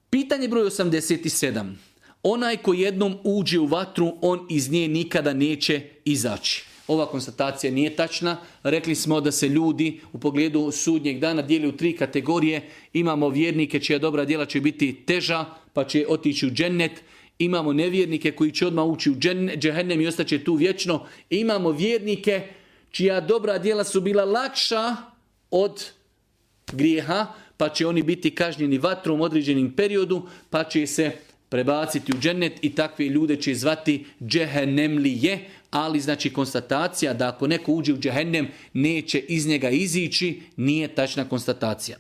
Pitanje broj 87. Onaj ko jednom uđe u vatru, on iz nje nikada neće izaći. Ova konstatacija nije tačna. Rekli smo da se ljudi u pogledu sudnjeg dana dijeli u 3 kategorije. Imamo vjernike čija dobra djela će biti teža, pa će otići u džennet. Imamo nevjernike koji će odmah ući u džehennem i ostaće tu vječno. Imamo vjernike čija dobra djela su bila lakša od grijeha, pa će oni biti kažnjeni vatrom u određenim periodu, pa će se prebaciti u džennet i takve ljude će zvati džehennemlije, ali znači konstatacija da ako neko uđe u džehennem neće iz njega izići, nije tačna konstatacija.